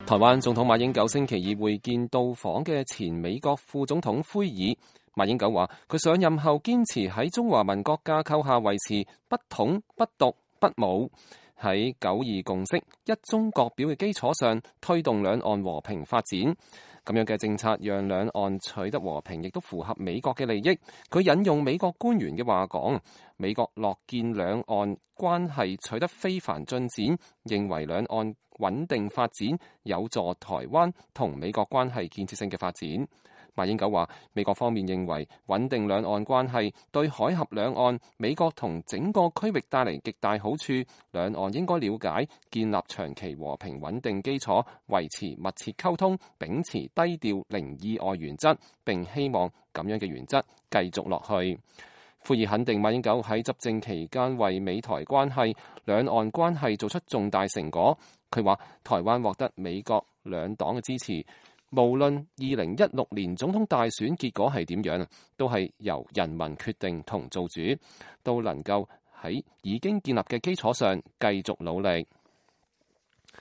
台灣總統馬英九星期二會見到訪嘅前美國副總統奎爾。馬英九話：佢上任後堅持喺中華民國架構下維持不統、不獨、不武，喺9·2共識、一中各表嘅基礎上推動兩岸和平發展。咁樣嘅政策讓兩岸取得和平，亦都符合美國嘅利益。佢引用美國官員嘅話講：美國樂見兩岸關係取得非凡進展，認為兩岸穩定發展有助台灣同美國關係建設性嘅發展。馬英九話：美國方面認為穩定兩岸關係對海峽兩岸、美國同整個區域帶嚟極大好處，兩岸應該了解、建立長期和平穩定基礎，維持密切溝通，秉持低調零意外原則，並希望咁樣嘅原則繼續落去。奎爾肯定馬英九喺執政期間為美台關係、兩岸關係做出重大成果。佢話：台灣獲得美國兩黨嘅支持，無論2016年總統大選結果係點樣，都係由人民決定同做主，都能夠喺已經建立嘅基礎上繼續努力。